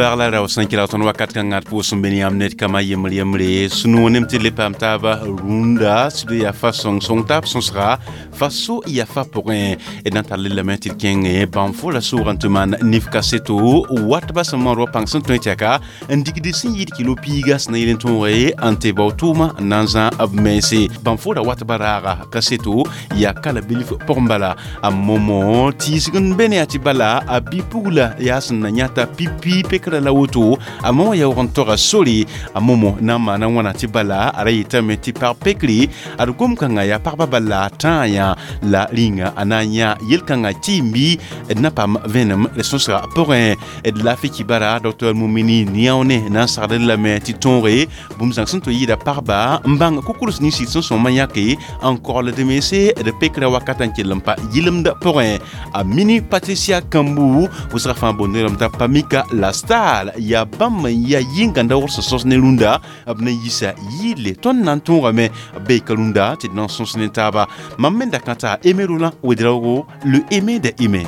Pagla rao sẽn kɩla tõnd wakat kãngã d pʋʋs n be ne yãmb ned kama yembr yembre sũ-noog nem tɩ d le paam taaba rũndã sɩd yaa fa sõng sõng taab sõsga fa so yaa fa pʋgẽ d na n tall lame tɩ d kẽng bãnfo la soogã tɩ maan nif kaseto watba sẽn mood wa pãng sẽn tõe tɛka n digd sẽn yɩɩd kilo piiga sẽn na yel n tõoge n tɩ bao tʋʋma n na n zã b mense bãnfo ra watba raaga kaseto yaa kala bilf pʋgẽ bala a momo tiisg n be ne yaa tɩ bala a bi-pugla yaa sẽn na yãta pipi pekra la woto a momo yaoog n toga sore a momo na n maana wãna tɩ bala a ra yetame tɩ pag pekre ad gom-kãngã yaa pagba bala tãa yã la rĩnga a na n yã yel-kãngã tɩɩm-bɩ d na paam vẽenem d sõsga pʋgẽ d laafɩ kibara dr Mumini Niaone na n sagd lame tɩ tõoge bũmb zãng sẽn tɩ yɩɩda pagba n bãng kukurs nins sẽn sõma yãke n kogld mense d pekra wakat n kell n pa yɩlemd pʋgẽ a mini Patricia Kambu wʋsga fãa boond rãmb t'a Pamika la star yaa bãmb n yaa yĩngãnda wʋgs sẽn sõs ne rũndã b na n yisa yɩɩle tõnd na n tõogame b beeka rũndã tɩ d na n sõs ne taaba mam me da kãta Aimé Roland Ouédraogo le aimé des aimés.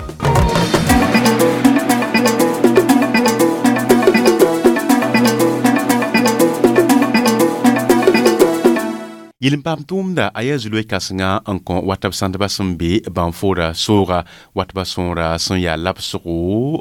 Yel-n paam tʋʋmda a yaa zulwɛ kãsenga n kõ watb sãndbã sẽn be bãnfoora sooga watbã sõora sẽn yaa labsgo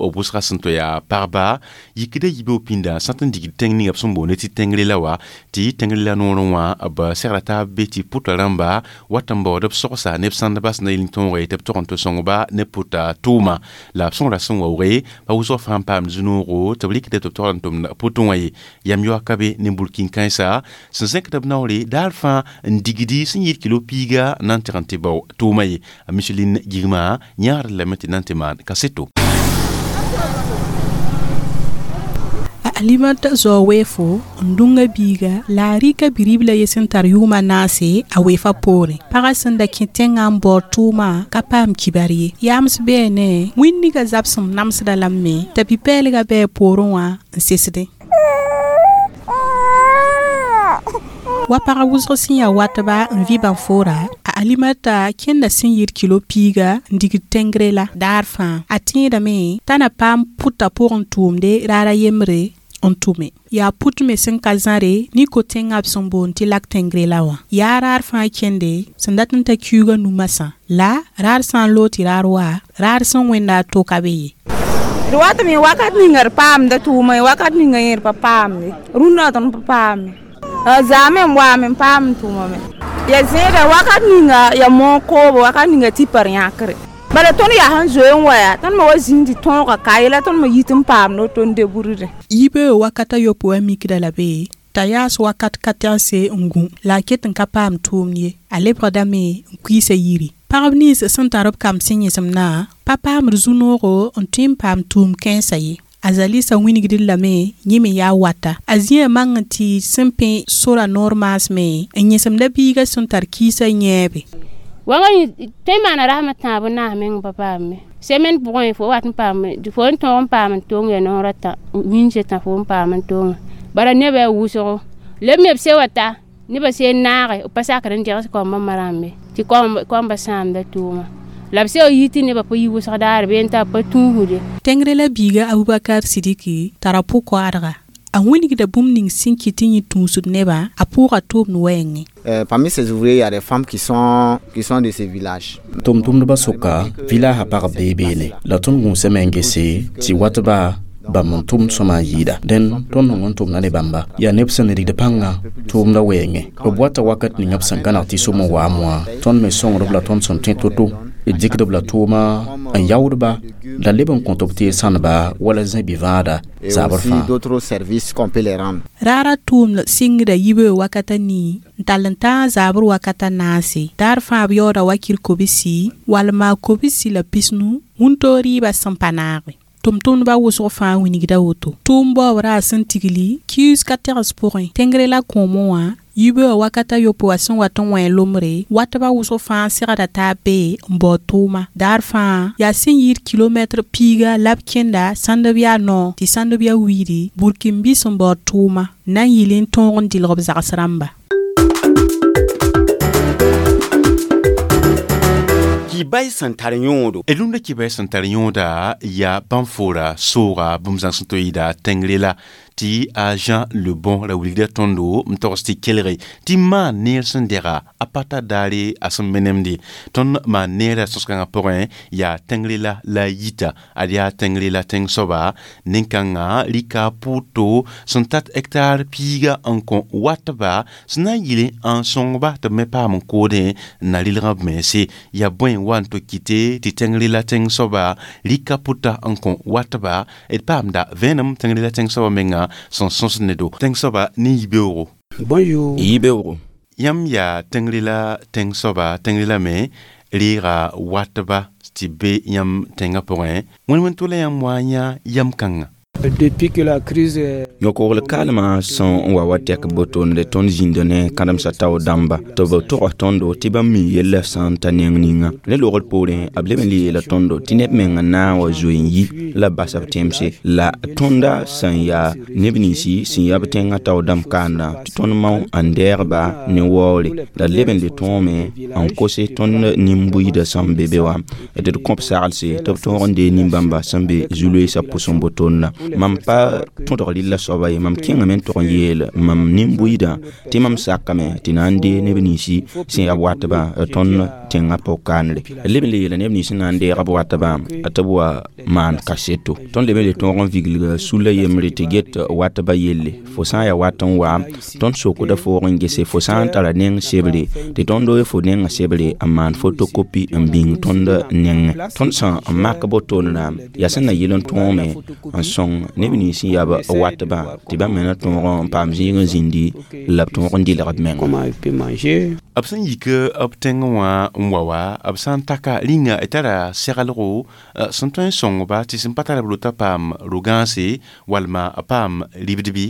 b wʋsga sẽn tɩ yaa pagba yikda yibeoog pĩnda sã tɩ n digd tẽng ninga b sẽn boonde tɩ tẽngre la wa tɩ tẽngre la noorẽ wã b segra taab be tɩ pʋta rãmba wat n baood b sogsa neb sãndbã sẽn na yel n tõoge tɩ b tog n tɩ sõngba ne pʋta tʋʋma la b sõgra sẽn waooge pa wʋsg fãa n paam zu-noogo tɩ b rɩkda tɩ b tog n tʋmd pʋtẽ wã ye yam yoaka be ne burkin-kãensa sẽn zẽkd b naoore daar fãa n digdi sẽn yɩɩd kilo piiga na n tɩg n tɩ bao tʋʋma ye a Micheline Gigma yãagd lame tɩ na n tɩ maan kaseto. A Alimata zao weefo n dũnga biiga la a rɩka bi-ribla ye sẽn tar yʋʋma naase a weefa poorẽ pagã sẽn da kẽ tẽngã n baood tʋʋma ka paam kibar ye yams beene wĩnniga zabsem namsda lame me t'a bi-pɛɛlgã bɩ a poorẽ wã n sesdẽ wa pag wʋsg sẽn yaa watba n vɩ bãnfoora a Alimata kẽnda sẽn yɩɩd kilo piiga n digd tẽngre la daar fãa a tẽedame t'a na paam pʋta pʋgẽ tʋʋmde raara yembre n tʋme yaa pʋt me sẽn ka zãre ne ko-tẽngã b sẽn boond tɩ lak tẽngre la wã yaa raar fãa kẽnde sẽn dat n ta kiuugã nu-masã la raar sã n loog tɩ raar wa raar sẽn wẽnda a to ka be ye. D wat me wakat ninga d paamda tʋʋma wakat ninga yẽ d pa paamde rũndã tõnd pa paame zaame n waame n paam n tʋʋma me ya zẽeda wakat ninga ya moog koobo wakat ninga tipar yãkre bala tõnd yaa sẽn zoe n wa yaa tõnd me wa zĩnd tɩ tõoga ka ye la tõnd me yit n paamd woto n deburde. Yibeoog wakata yopoe wã mikda la be t'a yaas wakat ka tɛgse n gũ la a ket n ka paam tʋʋmd ye a lebgdame n kuiisa yiri pagb nins sẽn tar b kamb sẽn yẽsemdã pa paamd zu-noogo n tõe n paam tʋʋm kãensã ye a zalisa wĩnigd lame yẽ me yaa wata a zĩã mang n tɩ sẽn pẽ sora noor maasme n yẽsemda biiga sẽn tar kiisã yẽebe. Wãnga tõe n maana rasem tãab n naas meng pa paame semaine pʋgẽ fo wat n paam fo n tõog n paam n tong ya noor a tã wĩnse tã fo n paam n tonga bara nebã yaa wʋsgo leb me b se wa ta nebã se n naage b pa sakr n degs kambã ma rãmbe tɩ kambã sãamda tʋʋma la b se wa yi tɩ nebã pa yi wʋsg daar bee n t'a pa tũusde. Tẽngre la biiga Abubakar Sidiki tara pʋ-koaadga a wĩnigda bũmb ning sẽn kɩt tɩ yẽ tũusd nebã a pʋʋga tʋʋmd wɛɛngẽ. Parmi ces ouvriers, il y a des femmes qui sont de ces villages. Tʋm-tʋmdbã sʋka village pagb bee beene la tõnd gũusame n gese tɩ watba bãmb n tʋmd sõma n yɩɩda dẽn tõnd nong n tʋmda ne bãmba yaa neb sẽn rigd pãngã tʋʋmda wɛɛngẽ b wata wakat ninga b sẽn gãneg tɩ som n waam wã tõnd me sõngd-b la tõnd sẽn tõe to-to d dɩkd b la tʋʋma n yaoodba la leb n kõt b tɩ sãneba wala zẽ-bi-vãada zabr fãa. D'autres services qu'on peut les rendre. Raara tʋʋmd sɩngda yibeoog wakata nii n tall n tãag zabr wakata naase daar fãa b yaooda wakir kobsi wall maa kobsi la pisnu wũntoog rɩɩbã sẽn pa naage tʋm-tʋmdbã wʋsg fãa wĩnigda woto tʋʋm baoob raar sẽn tigli kius ka tegs pʋgẽ tẽngre la kõomẽ wã yibeoog wakata yopoe wã sẽn wat n wẽ lombre watbã wʋsg fãa segda taab be n baood tʋʋma daar fãa yaa sẽn yɩɩd kilomɛtr piiga la b kẽnda sãnd b yaa noog tɩ sãnd b yaa wiidi burkin-bis n baood tʋʋma na n yɩl n tõog n dɩlg b zags rãmba. Kibay sẽn tar yõodo. Rũndã kibay sẽn tar yõoda yaa bãmb foora sooga bũmb zãng sẽn to yɩɩda tẽngre la tɩ a Jean Le Bon ra wilgda tõndo n togs tɩ kelge tɩ maan neer sẽn dɛga a pa ta daare a sẽn menemde. Tõnd maan neerã sõs-kãngã pʋgẽ yaa tẽngre la a yita ad yaa tẽngre la tẽng soaba nin-kãngã rɩka pʋʋto sẽn tat hectare piiga n kõ watba sẽn na n yɩl n sõngba tɩ b me paam n koodẽ n na rɩlg b mense. Yaa bõe wa n to kɩte tɩ tẽngre la tẽng soaba rɩka pʋta n kõ watba d paamda vẽenem tẽngre la tẽng soaba menga sẽn sõsd ne do. Tẽng soaba ne yibeoogo. Bonjour. Yibeoogo. Yãmb yaa tẽngre la tẽng soaba, tẽngre la me reega watba tɩ be yãmb tẽngã pʋgẽ. Wẽn-wẽn to la yãmb wa n yã yam kãnga? Depuis que la crise Yõkogl kaalmã sẽn wa wa tɛk botoonde tõnd zĩnda ne kãdemsã tao dãmba tɩ b tog tõndo tɩ bãmb mi yella sã n ta neng ninga. Ne logr poorẽ b leb n le yeela tõndo tɩ neb meng n na n wa zoe n yi la b basa b tẽmse la tõnda sẽn yaa neb ninsi sẽn yaa b tẽngã tao dãmb kaandã tɩ tõnd mao n dɛɛgba ne waoore la d leb n le tõome n kose tõnd nin-buiidã sẽn be be wã tɩ d kõp saglse tɩ b tõog n dee nin-bãmba sẽn be zu-loeesã pʋsẽ botoonda. Mam pa tõdg rɩlla soaba ye, mam kẽngame n tog n yeel mam nin-buiidã tɩ mam sakame tɩ na n dee neb ninsi sẽn yaa b watbã tõnd tẽngã pʋg-kaanre. D leb n le yeela neb nins sẽn na n deeg b watbã tɩ b wa maan kaseto. Tõnd leb n le tõog n viglga sulla yembre tɩ get watbã yelle. Fo sã n yaa wat n wa, tõnd sokda foog n gese fo sã n tara neng sebre tɩ tõnd doe fo nengã sebre n maan fotokopi n bĩng tõnd nengẽ. Tõnd sẽn n mak botoonrã yaa sẽn na yɩl n tõome n sõng neb nins sẽn yaa b watbã tɩ bãmb me na tõog n paam zĩig n zĩndi la b tõog n dɩlg b menga. B sẽn yik b tẽngẽ wã n wa wa, b sã n taka rĩnga d tara seglgo sẽn tõe n sõngba tɩ sẽn pa tar b rota paam ro-gãase walma a paam ribd bɩ.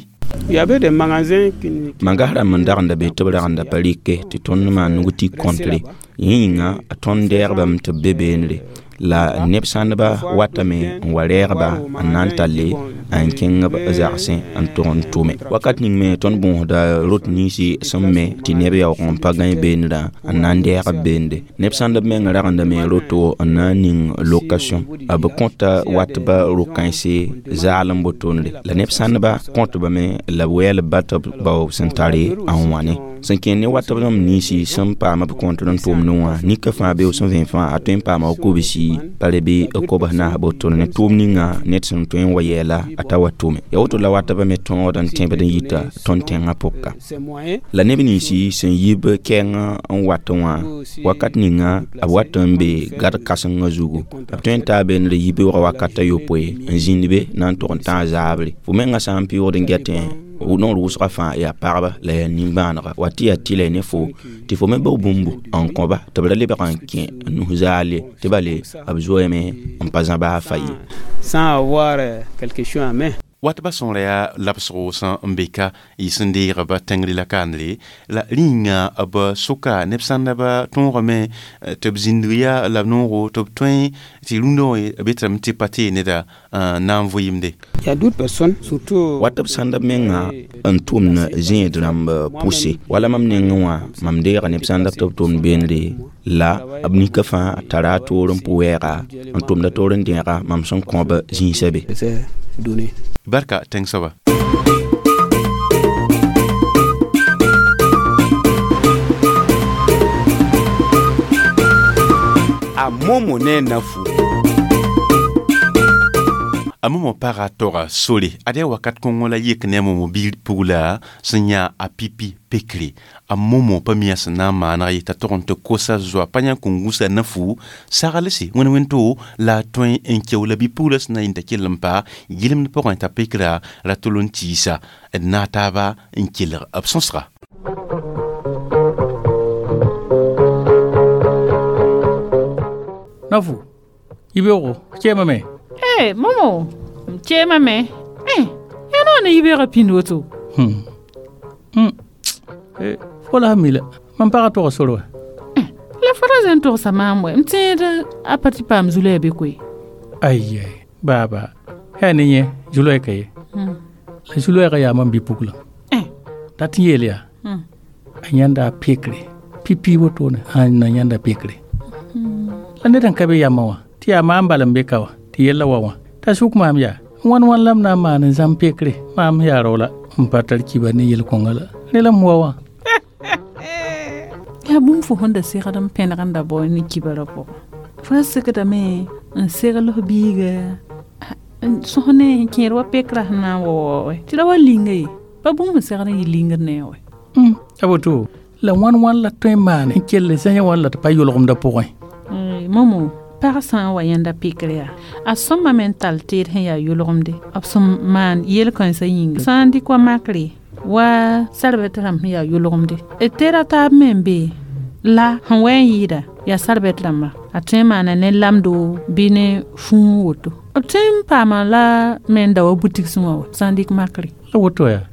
Il y avait des magasins qui Magas rãmb n dagenda be tɩ b ragenda pa rɩke tɩ tõnd maan nug tɩ kõntre. Yẽ yĩnga tõnd dɛɛgbame tɩ b be beenre. La neb sãndba watame n wa rɛɛgba n na n talle n kẽng b zagsẽ n tog n tʋme. Wakat ning me tõnd bõosda rot ninsi sẽn me tɩ neb yaoog n pa gãe beenrã n na n dɛɛg b beende. Neb sãndb meng ragendame roto n na n ning location. B kõta watba ro-kãense zaal n botoonre. La neb sãndba kõtbame la b wɛɛl b ba tɩ b bao sẽn tare n wãne. Sẽn kẽnd ne watb rãmb ninsi sẽn paam b kõntr n tʋmdẽ wã nika fãa be sẽn vẽ fãa a tõe n paama kobsi pa re bɩ kobs naas botoone ne tʋʋm ninga ned sẽn tõe n wa yɛɛla a ta wa tʋme. Ya woto la watbã me tõogd n tẽbd n yita tõnd tẽngã pʋka. La neb ninsi sẽn yi b kɛɛng n wat wã wakat ninga b wat n be gad kãsengã zugu. B tõe n taa beenre yibeoogã wakat a yopoe n zĩnd be na n tog n tãag zaabre. Fo mengã sã n pɩʋʋgd n gɛtẽ noor wʋsgã fãa yaa pagba la yaa nin-bãanega wa tɩ yaa tɩlɛ ne fo tɩ fo me bao bũmbu n kõba tɩ b ra lebg n kẽ nus zaal ye tɩ bale b zoeeme n pa zãbaa fa ye. Sans avoir quelque chose en main. Watba sõora yaa labsgo sẽn n be ka y sẽn deegba tẽngre la kaanre la rĩnga b soka neb sãndaba tõogame tɩ b zĩndg yaa la b noogo tɩ b tõe tɩ rũndã wã b yetame tɩ pa tee neda na n vʋɩɩmde. Il y a d'autres personnes, surtout Watb sãndb menga n tʋmd zẽed rãmb pʋse. Wala mam nengẽ wã mam deega neb sãndb tɩ b tʋmd beenre la b nika fãa tara a toor n pʋ wɛɛga n tʋmda toor n dẽega mam sẽn kõb zĩisã be. Donné. Barka tẽng soaba. A momo ne nafu. A momo paga toga sore ad yaa wakat kõngo la yek ne a momo biig pugla sẽn yã a pipi pekre. A momo pa mi sẽn na n maaneg ye t'a tog n tɩ kosa zoa pa yãn kõn gũsa nafu saglse wẽn-wẽn-to la a tõe n keo la bi-pugla sẽn na yĩn t'a kell n pa yɩlemd pʋgẽ t'a pekra ra tol n tiisa d naag taaba n kelg b sõsga. Nafu, yibeoogo, kẽemame. Eh, momo, m kẽemame. Eh, yaa noor ne yibeoogã pĩnd woto. Fo la mi la, mam pagã tog sor wa. La fo ra zẽn togsa maam wɛ, m tẽed a pa tɩ paam zu-loɛɛ be koe. Ai ai, baaba, yaa ne yẽ zu-loɛɛ ka ye. La zu-loɛɛgã yaa mam bi-puglã. Dat n yeel yaa, a yãnda a pekre, pipi wotone, a na yãnda pekre. La ned n ka be yamã wã tɩ yaa maam bal n be ka wã tɩ yella wa wã t'a sʋk maam yaa wãn wãn la m na n maan n zãm pekre maam yaa rao la n pa tar kiba ne yel-kõnga la rẽ la m wa wã yaa bũmb fo sẽn da segd n pẽneg n da bao ne kibarã pʋgẽ fo ra segdame n segl f biiga sõs ne n kẽed wa pekrã sẽn na n wa wa tɩ ra wa linga ye pa bũmb sẽn segd n yɩ lingd ne wɛ a woto la wãn wãn la tõe n maane n kell zã wãn la tɩ pa yʋlgemdã pʋgẽ momo pag sã n wa yãnda pekr yaa a sõma me n tall teed sẽn yaa yʋlgemde b sẽn maan yel-kãensã yĩnga sã n dɩk wa makre wa sarbɛt rãmb sẽn yaa yʋlgemde d teeda taab me n be la sẽn wa n yɩɩda yaa sarbɛt rãmba a tõe n maana ne lamdo bɩ ne fũu woto b tõe n paama la me n da wa butik sẽ wã wa sã n dɩk makre la woto yaa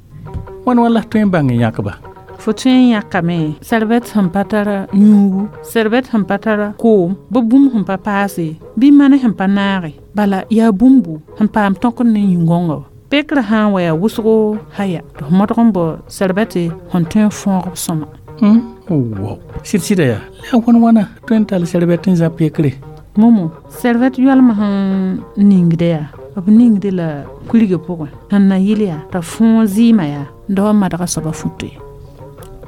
wãn wãn la tõe n bãng n yãkba fo tõe n yãkame sarbɛt sẽn pa tara yũugu sarbɛt sẽn pa tara koom bɩ bũmb sẽn pa paase bɩ mane sẽn pa naage bala yaa bũmbu sẽn paam tõkd ne yĩn-gõnga wa pekrã sã n wa yaa wʋsgo haya tɩ f modg n bao sarbɛte sẽn tõe n fõog b sõma wow sɩd-sɩda yaa la wãn wãna tõe n tall sarbɛt n zã pekre momo sarbɛt yoalmã sẽn ningda yaa b ningde la kurigã pʋgẽ sẽn na yɩl yaa t'a fõog zɩɩmã yaa n da wa madga soaba futo ye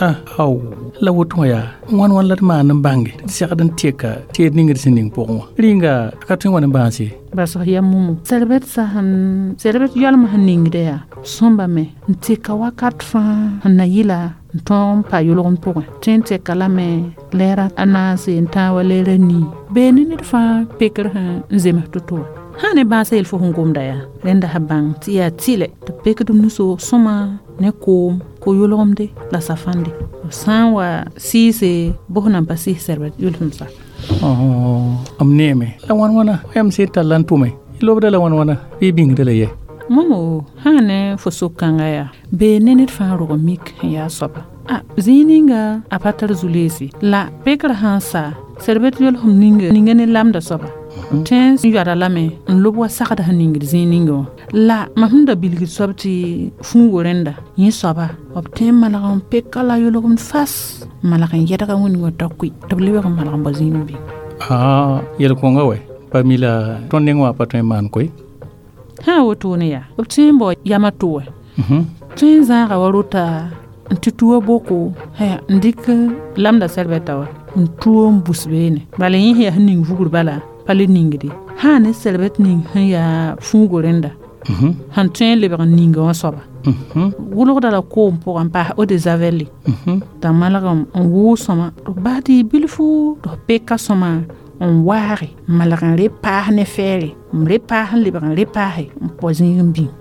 ah aw la woto wã yaa wãn wãn la d maan n bãnge tɩ d segd n teka teed ning d sẽn ning pʋgẽ wã rĩnga a ka tõe n wa ne bãas ye bas f yaa mumu sarbɛt sa sẽn sarbɛt yoalmã sẽn ningda yaa sõmbame n teka wakat fãa sẽn na yɩla n tõog n pa yʋlgem pʋgẽ tõe n teka lame lɛɛra a naase n tãag wa lɛɛra nii bee ne ned fãa pekr sẽn n zems to-to wã sã ne bãasã yel fo sẽn gomda yaa rẽnda sã bãng tɩ yaa tɩlɛ tɩ pekd b nusoog sõma ne koom ko yʋlgemde la safãnde b sã n wa sɩɩse bʋs nan pa sɩɩs sɛrbɛt yʋlsem sa m neeme la wãn wãna yam sẽn tall n tʋme lobda la wãn wãna bɩ bĩngda la yɛ momo sã ne fo sok-kãnga yaa bee ne ned fãa rog mik sẽn yaa soaba a zĩig ninga a pa tar zu-leese la pekrã sã n sa sɛrbɛt yolsem ninga ne lamda soaba tõe n yoada lame n lob wa sagda sẽn ningd zĩig ninga wã la mam sẽn da bilgd soab tɩ fũugo rẽnda yẽ soaba b tõe n malg n peka la yʋlgemd fas n malg n yɛdga wĩndgã t'a kʋɩ tɩ b lebg n malg n bao zĩig n bĩng yel-kõnga wɛ pa mi la tõnd neng wã pa tõe n maan koe sã wotone yaa b tõe n bao yamã to wɛ tõe n zãaga wa rota n tɩ tuo boko haya n dɩk lamda sɛrbɛta wa n tuo n bus beene bala yẽ sẽn yaa sẽn ning vugr bala pa le ningde sã ne sɛrbɛt ning sẽn yaa fũugo rẽnda sẽn tõe n lebg n ninga wã soaba wʋlgda la koom pʋgã n paas eau de javel t'a malg n wʋʋg sõma tɩ f bas tɩ yɩ bilfu tɩ f peka sõma n waage n malg n re paas ne fɛɛre n re paas n lebg n re paase n pɔ zĩig n bĩng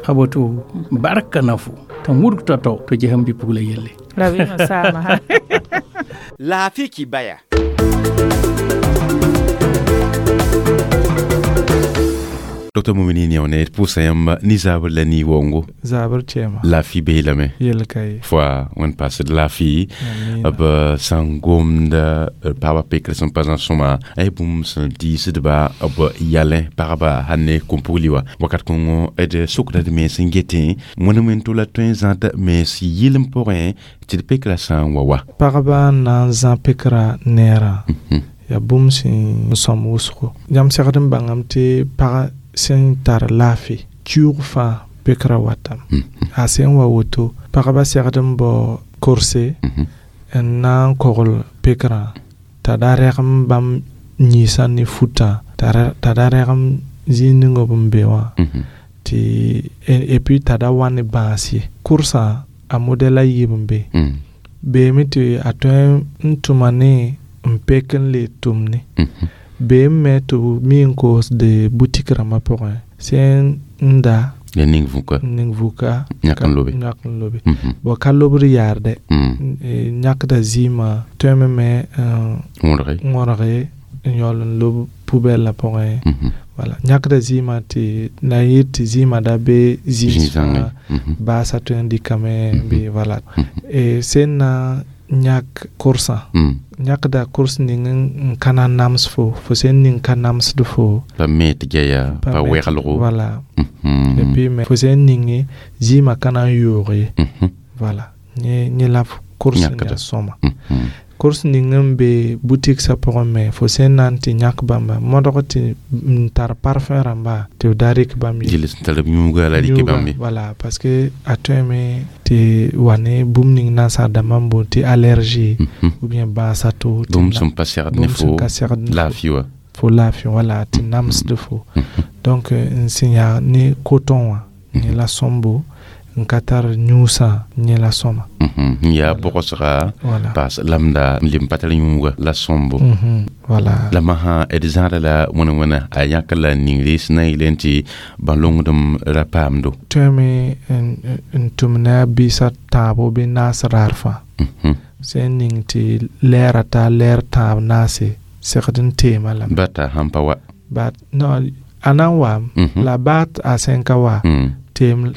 a woto barka na fo tɩ n wudg tao-tao tɩ ges n bɩ-pugla yelle rabeemã saama Laafɩ kibaya. Dr Mumini ne pʋʋsa yãmb ne zaabr la ni-waoongo zabr tɛɛma laafɩ beelame yel ka ye fo wẽnd paasd laafɩ b sã n gomda pagba pekr sẽn pa zã sõma ay bũmb sẽn diisdba b yalẽ pagba sãn ne kom-pugli wa wakat kõngo d sokda d mens n getẽ wẽnd wẽn to la tõe n zãd mens yɩlem pʋgẽ tɩ d pekrã sã n wa wa pagba n na n zã pekrã neerã yaa bũmb sẽn sõm wʋsgo yãmb segd n bãngame tɩ pag sẽn tar laafɩ kiuug fãa pekrã watame a sẽn wa woto pagba segd n bao korse n na n kogl pekrã t'a da rɛgem bãmb yĩnsã ne futã t'a da rɛgem zĩig ning b n be wã tɩ et puis t'a da wa ne bãas ye kʋrsã a modɛl a yiib n be beeme tɩ a tõe n tʋma ne n pek n le tʋm ne beem me tɩ b mi n koosd butik rãmbã pʋgẽ sẽn n da ya ning vuka ning vuka yãk n lobe yãk n lobe bon ka lobd yaarde yãkda zɩɩmã tõeme me wõrge n yaool n lob poubelle pʋgẽ wala yãkda zɩɩmã tɩ na yɩ tɩ zɩɩmã da be zĩig fãa baasã tõe n dɩkame bɩ wala sẽn na yãk kʋrsã yãkda kʋrs ning n ka na nams fo fo sẽn ning ka namsd fo pa me tɩ gɛya pa wɛglgo voilà et puis me fo sẽn ninge zɩɩmã ka na n yoog ye voilà yẽ la kʋrs n yaa sõma Kurs ning n be boutique sã pʋgẽ me fo sẽn na n tɩ yãk bãmba modg tɩ n tar parfum rãmba tɩ b da rɩk bãmb ye. Yel sẽn tar b yũuga la rɩk bãmb ye. Voilà, parce que a tõeme tɩ wa ne bũmb ning nansar dãmbã n boond tɩ allergie ou bien bãasa to. Bũmb sẽn pa segd ne fo laafɩ wã. Fo laafɩ wala tɩ namsd fo. Donc n sẽn yaa ne coton wã yẽ la sõmbo n ka tar yũusã yẽ la sõma. N yaa bʋgsga paas lamda n leb n pa tar yũuga la sõmbo. Voilà. La masã d zãada la wẽna wẽna a yãk la ningre sẽn na n yeelẽ tɩ bãn-longdem ra paamdo. Tõeme n tʋm ne a biisã tãabo bɩ naas raar fãa. Sẽn ning tɩ lɛɛra taa lɛɛr tãab naase segd n teema lame. Bata sãn pa wa. Bat non, a na n waam la baat a sẽn ka wa. Teem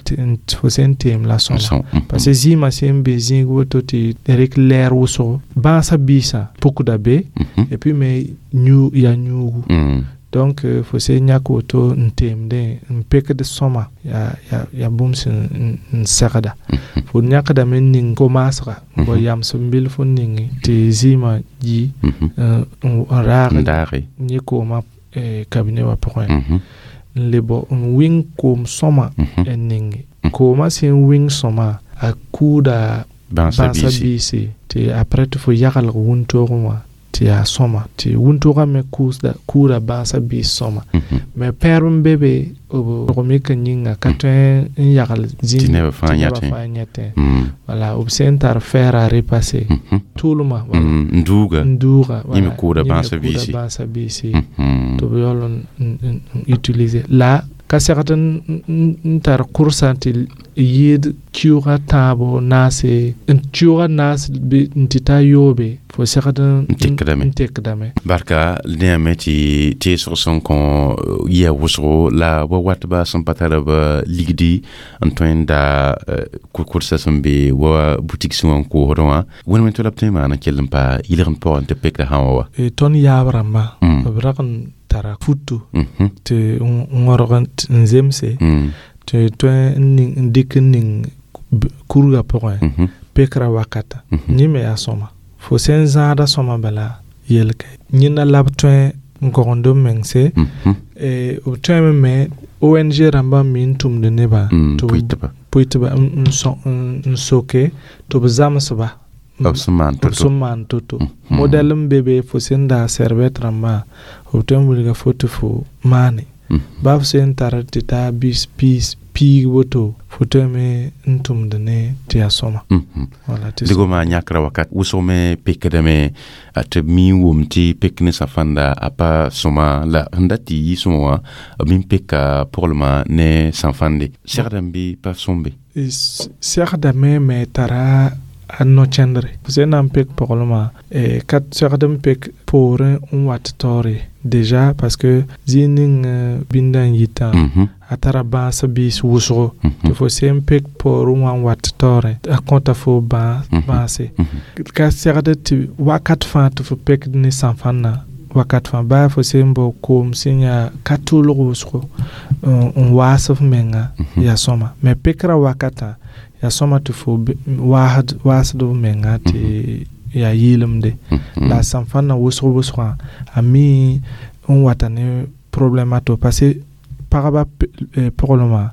fo sẽn teem la sõma parce que zĩigã sẽn be zĩig woto tɩ rɩk lɛɛr wʋsgo bãasã biisã pukda be et puis me yaa yũugu. Donc fo sẽn yãk woto n teemdẽ n pekd sõma yaa bũmb sẽn n segda. Fo yãkdame n ning ko-maasga n bao yams n bilf n ninge tɩ zɩɩmã yi n raag yẽ koomã cabinet wã pʋgẽ. N le bao n wɩng koom sõma n ninge. Koomã sẽn wɩng sõma a kuuda bãasa biise tɩ après tɩ fo yagelg wʋntoogẽ wã tɩ yaa sõma tɩ wʋntoogã me kuuda bãasa biis sõma. Mais pɛɛrb n be be b rog-mik n yĩnga ka tõe n yagl zĩig tɩ nebã fãa yãtẽ. Wala b sẽn tar fer à repasser tʋʋlmã n duuga n duuga yẽ me kʋʋda bãasa biisi tɩ b yaool n utiliser la ka segd n tar kʋrsã tɩ yɩɩd kiuugã tãabo naase n kiuugã naas n tɩ ta yoobe fo segd n tekdame. Barka dẽame tɩ teesg sẽn kõ yia wʋsgo la wa watba sẽn pa tar b ligdi n tõe n da kʋrsã sẽn be wa butik sẽn wã n koosdẽ wã wẽn wẽn tɩ la b tõe n maan n kell n pa yɩlg n pʋgẽ tɩ pekra sã wã wa. Tõnd yaab rãmbã b rag n tara futu tɩ n wõrg n zemse tɩ tõe n dɩk n ning kurgã pʋgẽ pekra wakata yẽ me yaa sõma fo sẽn zãada sõma bala yelka yẽnda la b tõe n kogend b mengse b tõeme me ONG rãmbã me n tʋmd nebã pʋɩtba n soke tɩ b zãmsba b sẽn maan to-to modɛl n be be fo sẽn daa sɛrbɛt rãmbã b tõe n wilga fo tɩ fo maane ba f sẽn tar tɩ taa bis piis piig woto fo tõeme n tʋmd ne tɩ yaa sõma. Dɩgmã yãkra wakat wʋsg me pekdame tɩ b mi n wʋm tɩ pek ne sã-fãnda a pa sõma la sẽn dat tɩ yɩ sõma wã b mi n peka poglmã ne sã-fãnde segdame bɩ pa sõmbe. Segdame me tara a no-kẽndre fo sẽn na n pek poglmã ka segd n pek poorẽ n wat taoore déjà parce que zĩig ning bĩndã n yitã a tara bãas biis wʋsgo tɩ fo sẽn pek poorẽ wã n wat taoorẽ a kõta fo bãase ka segd tɩ wakat fãa tɩ fo pekd ne sã-fãnna wakat fãa baa fo sẽn bao koom sẽn yaa ka tʋʋlg wʋsgo n waas f menga yaa sõma mais pekra wakatã yaa sõma tɩ fo waasd f menga tɩ yaa yɩɩlemde la sã-fãnna wʋsg wʋsgã a mi n wata ne problème a to parce que pagba poglmã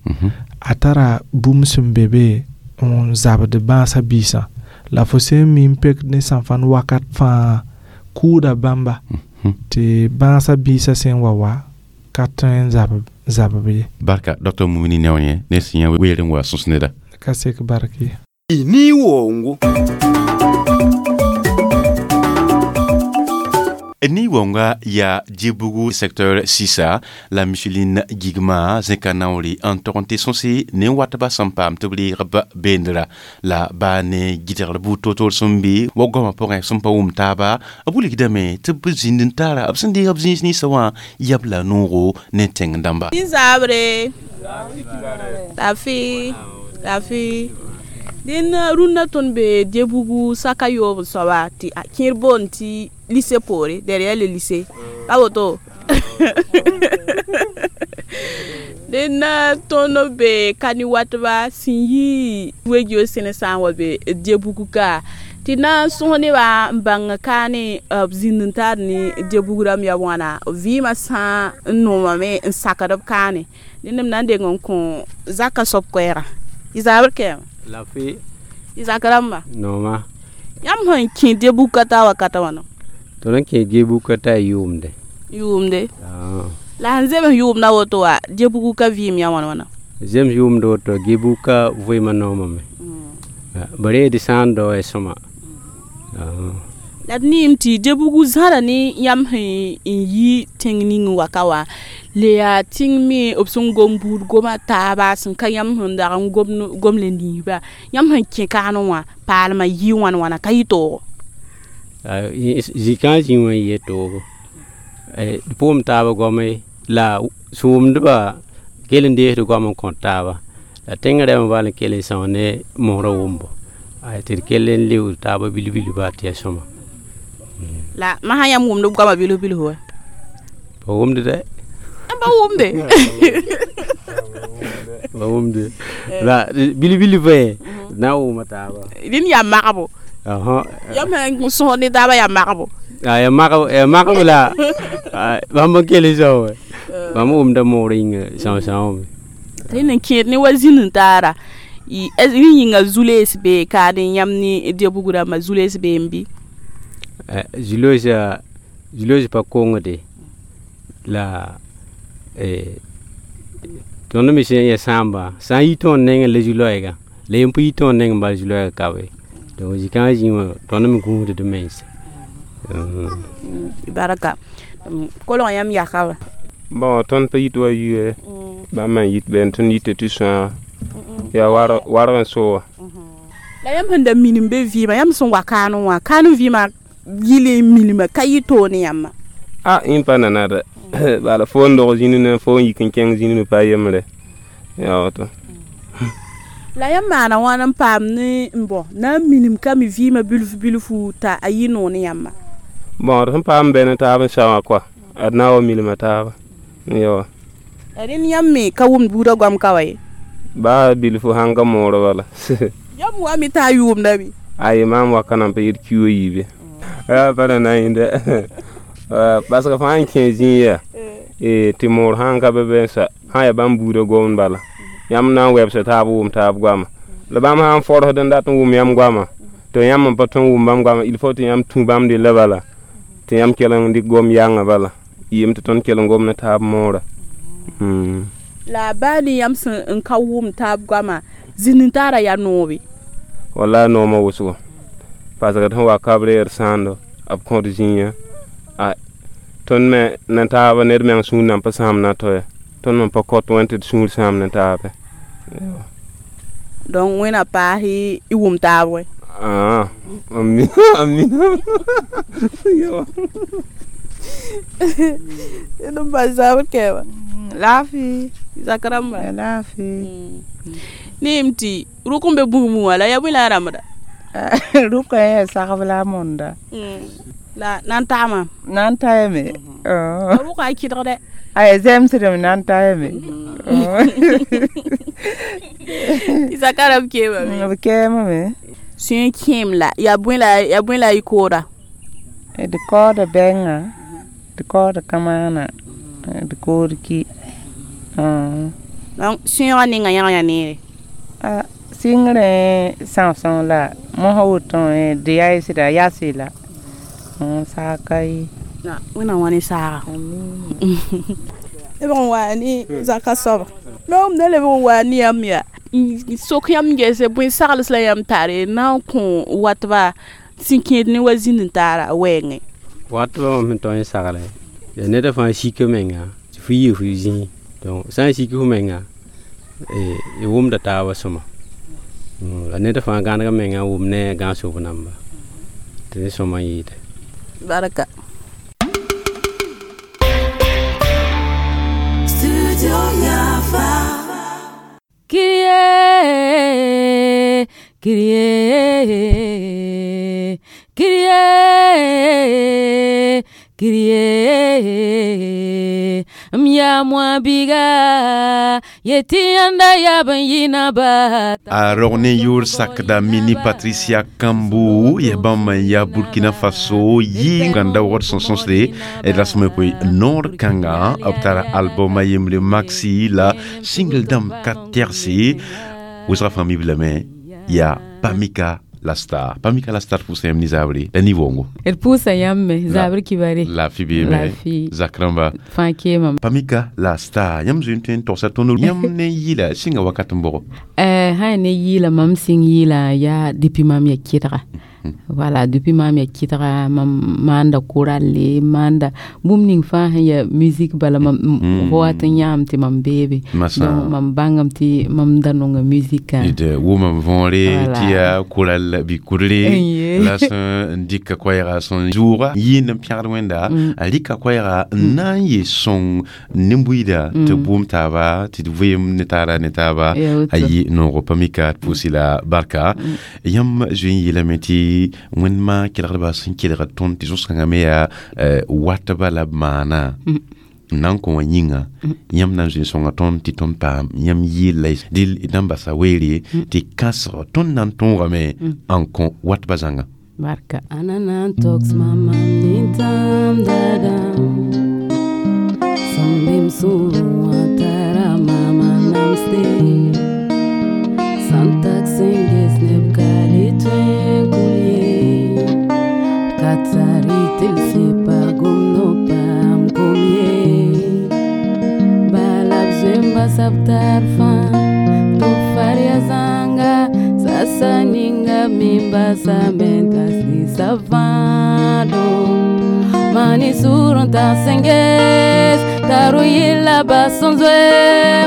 a tara bũmb sẽn be be n zabd bãasã biisã la fo sẽn mi n pek ne sã-fãn wakat fãa kʋʋda bãmba tɩ bãasã biisã sẽn wa wa ka tõe n zabb ye. Barka Dr Mumini Neonie ne sẽn yã weer n wa sõs neda. Ka sek barki. Ni wongo. Ni wonga ya Djibougo secteur 6 la Micheline Gigma zẽka naoore n tog n tɩ sõse ne watba sẽn paam tɩ b reeg beendra la baa ne gɩdgr buud toor-toor sẽn be wa goamã pʋgẽ sẽn pa wʋm taaba b wilgdame tɩ b zĩnd n tara b sẽn deeg b zĩis ninsã wã yab la noogo ne tẽng dãmba. Zabre lafi lafi dẽn rũnnã tõnd be Djebugu saka yoob soaba tɩ a kẽer boond tɩ lycée poore derrière le lycée ka woto dẽn tõnd be kani watba sẽn yi wegio sẽne sã n wa be Djebugu ka Tɩ na n sõs nebã n bãng kaane b zĩnd n taar ne debug rãmb yaa wãna vɩɩmã sã n noomame n sakd b kaane dẽnd m na n deng n kõ zaka soab koɛɛga y zaabr kɛɛma Lafi y zak rãmba nooma yãmb sẽn kẽ debug ka taa wakata wãna tõnd n kẽ gebuka t'a yʋʋmde yʋʋmde la sẽn zems yʋʋmda woto wa debug ka vɩɩm yã wãn wãna zems yʋʋmd woto gebuka vɩɩmã noomame b reed sã n dao ya sõma la d neem tɩ debug zãra ne yãmb sẽn n yi tẽng ning wa ka wã le yaa tẽng me b sẽn gom buud goma taaba sẽn ka yãmb sẽn dag n gom le niisba yãmb sẽn kẽ kaanẽ wã paalmã yɩ wãn wãna ka yɩ toogo zikã zĩ wã n yɩ toogo d pʋʋm taaba goame la sʋʋmdbã kell n deesd goam n kõt taaba la tẽngã rɛmã bal n kell n sõs ne mosrã wʋmbo tɩ d kell n leood taaba bilf-bilf baa tɩ yaa sõma la masã yãmb wʋmd b goamã bilf bilf wa ba wʋmd dɛ ba wʋmde ba wʋmde la bilf bilf d na n wʋma taaba rẽnd yaa magbo yãmb sẽn sõs ne taaba yaa magbo ya magb la bãmb n kell n sao bãmb wʋmda moor yĩnga são-sãoome rẽnd n kẽed ne wa zĩnd n taara rẽ yĩnga zu-loees bee kaad n yãmb ne debug rãmbã zu-loees bee n bɩ zu-loees pa kongde la tõnd me sẽn ya sãamba sã n yi tõnd nengẽ la zu-loɛɛgã la yem pa yi tõnd nengẽ bala zu-loɛɛgã ka be donc zikãngã zĩ wã tõnd me gũusd d mense baraka kolg yãmb yaka wa bon tõnd pa yit wa yue bãmb n yit bɛn tõnd yita tɩ sõaga yaa warg n so wã la yãmb sẽn da minim be vɩɩmã yãmb sẽn wa kaanẽ wã kaan vɩɩmã yɩl n milma ka yɩ toog ne yãmba a yẽ pa nana dɛ bala fo n dog zĩni ne fo n yik n kẽng zĩni me pa yembre yaa woto la yãmb maana wãn n paam ne n bõ na n minim ka me vɩɩmã bilf bilfu t'a a yɩ noog ne yãmba bon d sẽn paam bɛ ne taab n sa wã koa ad na n wa milma taaba yawa la rẽnd yãmb me ka wʋmd buudã goam ka wa ye baa bilfu sãn ka moorã bala yãmb wa me t'a yʋʋmda bɩ aye maam wa ka nan pa yet kiuo yiibe pa na na yẽnda parce que fãa n kẽ zĩig yaa tɩ moor sãn ka be bɛ n sa sã yaa bãmb buudã gomd bala yãmb na n wɛbsa taab wʋm taab goama la bãmb sã n forsd n dat n wʋm yãmb goama tɩ yãmb n pa tõe n wʋm bãmb goama il faut tɩ yãmb tũ bãmb della bala tɩ yãmb kell n dɩk gom yãngã bala yem tɩ tõnd kell n gom ne taab moora la baa ne yãmb sẽn n ka wʋm taab goama zĩnd n taara yaa noobe wala noomã wʋsgo parce que d sẽn wa ka b reer sãando b kõt zĩigã a tõnd me ne taaba ned meng sũur nan pa sãam na to ya tõnd me pa kõt wẽn tɩ d sũur sãam ne taabe donc wẽna paas y wʋm taab wɛ amina d n bas zaabr kɛɛba laafɩ zak rãmba laafɩ neem tɩ rʋk n be bũmb wã la yaa bõe la a rãmbda rʋka yaa sagb la a monda la na n tagma na n taame rʋka a kɩdgdɛ aya zemsdame na n taame tɩ zaka rãmb keemame b keemame sũyẽ kẽem la yaa bõe la y kooda d kaooda bɛnga d kaooda kamaana d kood ki donc sũyẽgã ninga yãg yã neere sɩngrẽ são-sõng la mosã woto d yaɩsda yase la saaka ye wẽnnaam wã ne saaga lebg n waa ne zaka soaba noom da lebg n waa ne yãmb yaa sok yãmb gese bõe sagls la yãmb tare na n kõ watba sẽn kẽed ne wa zĩnd n taara wɛɛngẽ watba wã sẽn tõe n sagle yaa neda fãa sika menga tɩ fo yɩ fo zĩig donc sã n sik fo menga y wʋmda taabã sõma la ned fãa gãneg menga n wʋm ne gãn-sob namba tɩ ne sõma n yɩɩde baraka Studio Yafa. Kyrie, Kyrie, Kyrie, Kyrie. M yaa moa biga yetɩ yãnda yaab n yɩ naba. A rog ne yʋʋr sakda Mini Patricia Kambu ya bãmb n ya Burkina Faso yɩ gãnda waoogd sẽn sõsde la sẽm pʋɩ noor kãnga b tara album a yembre maxi la single dãmb ka tɛgse wʋsga fãa mi lame yaa Pamika la Star. Pamika la Star pʋʋsa yãmb ne zaabre la ni-woongo. D pʋʋsa yãmb me zaabr kibare. Laafɩ beeme zak rãmba. Fãa keemame. Pamika la Star, yãmb zoe n tõe n togsa tõnd yãmb ne yɩla sɩnga wakat n bʋgo? Sã ne yɩɩla, mam sɩng yɩɩla yaa depuis mam ya kɩdga. Voilà, depuis mam ya kɩdga, mam maanda koralle, maanda bũmb ning fãa sẽn ya musique bala mam fo wat n yãam tɩ mam beebe. Donc mam bãngame tɩ mam da nonga musique. D wʋmam võore tɩ yaa koral bɩ kudre la sẽn dɩka koɛɛga sẽn zʋʋga yɩɩnd n pẽgd Wẽnda a rɩka koɛɛga n na n yɩ sõng nin-buiida tɩ bʋʋm taaba tɩ d vɩɩm ne taaba a yɩ noogo. Pamika, d pʋʋs la barka. Yãmb zoe n yeelame tɩ Wẽndmã kelgdbã sẽn kelgd tõnd tɩ zõs-kãngã me yaa watba la b maana n na n kõ wã yĩnga, yãmb na n zoe n sõnga tõnd tɩ tõnd paam yãmb yɩɩl la dɩl d na n basa weere tɩ kãsg tõnd na n tõogame n kõ watba zãnga. Barka. Ananan tox mamam nintam dadam Sambim suru atara mama namste Santak senges neb kali twen kulye Katsari til sepa gumno pam kumye Balab zemba sabtarfa Tufaria zanga Sasa ninga mimba samentas ni savado Mani surun ta senges Taru yila basonzwe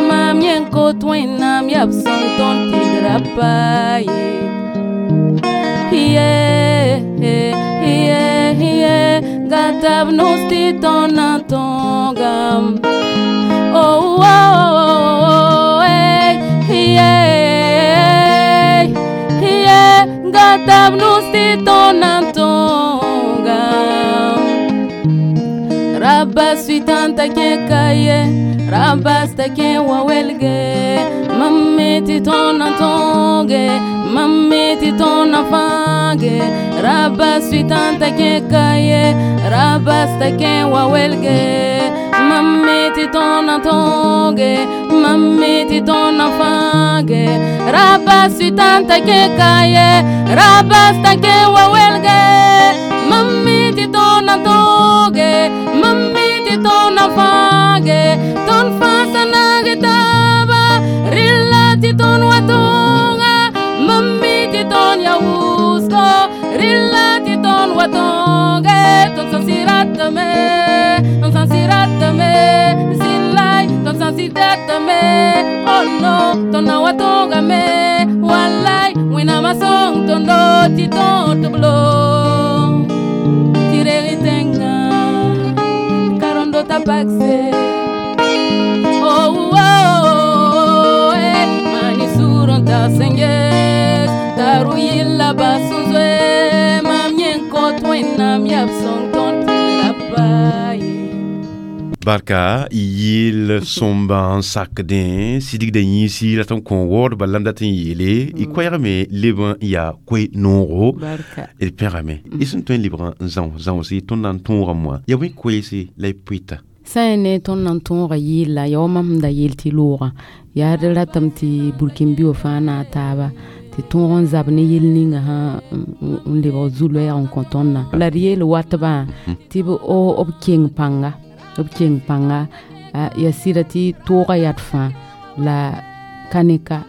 Mamyen kotwen nam yap son ton tidrapaye Yeah, Gatab no sti ton antongam. Oh, hey, yeah, Gatab no sti ton antongam. Rabas suitanta ke kaye, Rabas ta ke wawelge, Mamme ti ton antonge, Mamme ti ton afange, Rabas suitanta ke kaye, Rabas ta ke wawelge, Mamme ti ton antonge, Mamme ti ton afange, Rabas suitanta ke kaye, Rabas ta ke wawelge, Mamme ti ton antonge, Mamme ti ton afange, Ton fasa nage taba, Rilla ti ton watonga, Mamme ti ton yausko, Rilla ti ton watonge, Ton sansiratame, ton sansiratame, Silai, ton sansiratame, Oh no, ton na watonga me, Walai, wina masong ton do ti ton tublo. Tireritenga, karondo tapakse. Oh, eh, mani suron ta senges, taru yilla basunzwe, mamyen kotwen nam yap song ton tirapaye. Barka yɩl sõmba n sakdẽ sidgda yĩsi la tõnd kõ waoodba la m dat n yeele y koɛɛgame leb n yaa koe noogo. Barka. D pẽgame y sẽn tõe n lebg n zão zãosi tõnd na n tõoga moã yaa bõe koeese la y pʋɩta? Sã n ne tõnd na n tõoga yɩɩl ya wa mam sẽn da yeel tɩ loogã yaa d ratame tɩ burkĩn-bi wã fãa naag taaba tɩ tõog n zab ne yel ninga sã n lebg zu-loɛɛg n kõ tõndã la d yeel watbã tɩ b keng pãnga, b keng pãnga ya sɩda tɩ toogã yad fãa la ka ne ka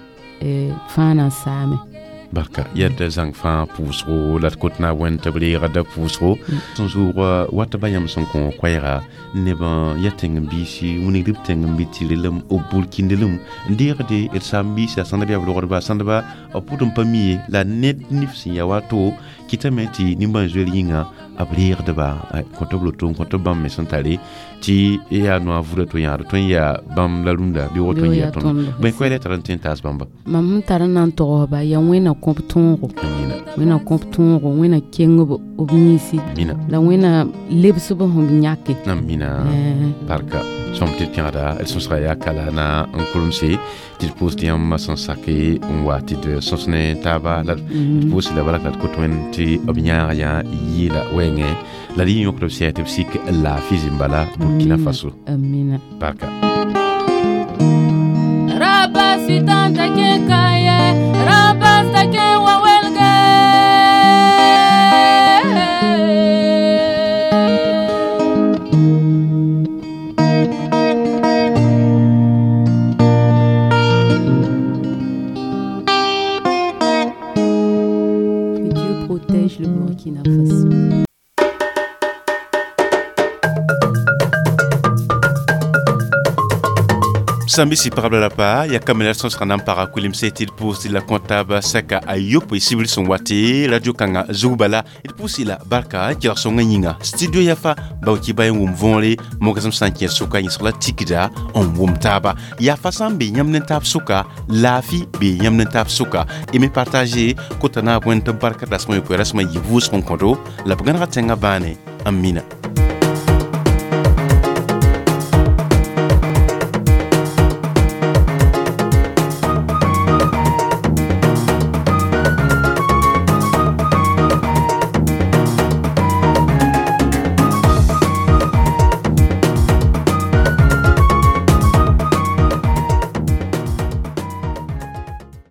fãa na n saame. Barka yad zãng fãa pʋʋsgo la d kot na wẽnd tɩ b reegda pʋʋsgo sẽn zʋʋg watba yãmb sẽn kõ koɛɛga neb n ya tẽng-biisi wilgd b tẽng-bi tɩ relem b burkĩndelem n deegde d saam-biisã sãndb yaa b rogdba sãndba b pʋd n pa mi ye la ned nif sẽn ya wato kɩtame tɩ nimbãan-zoeer yĩnga b reegdba kõ tɩ b loto n kõ tɩ bãmb me sẽn tare tɩ yaa noa vuda to yãad tõe n yaa bãmb la rũndã bɩ woto n yaa tõnd bõe koɛɛla tar n tõe n taas bãmba? Mam sẽn tar n na n togsba yaa Wẽnna kõb tõogo, Wẽnna kõb tõogo, Wẽnna keng b yĩnsi Mina. la Wẽnna lebs b sẽn b yãke. Mina. Barka. Sõm tɩ d pẽgda d sõsga yaa kala na n kuremse tɩ d pʋʋs tɩ yãmb sẽn sake n wa tɩ d sõs ne taaba la d pʋʋs la bark la d kot wẽnd tɩ b yãag yã yeela wɛɛngẽ la d yɩ yõkd b sɛ tɩ b sik laafɩ zĩm-bala Burkina Faso. Amina. Barka. Rabasitanta ke kaye, rabasta ke wawelge. Que Dieu protège le Burkina Faso. Sãn-bisi pagb la pa ya kamela sõsga na n paga kulimse tɩ d pʋʋs tɩ la kõtaab sɛka a yopoe sibr sẽn wa tɩ radio kãngã zug bala d pʋʋs la barka n kelg sõngã yĩnga studio yafa bao-ki ba n wʋm võore mogsem sã n kẽ sʋka yẽsg la tikda n wʋm taaba yafa sã n be yãmb ne taab sʋka laafɩ bee yãmb ne taab sʋka y me partage kota naab wẽnd tɩ barka dasmã yopoe rasmã yɩ vʋʋsg n kõdo la b gãnega tẽngã bãane n mina.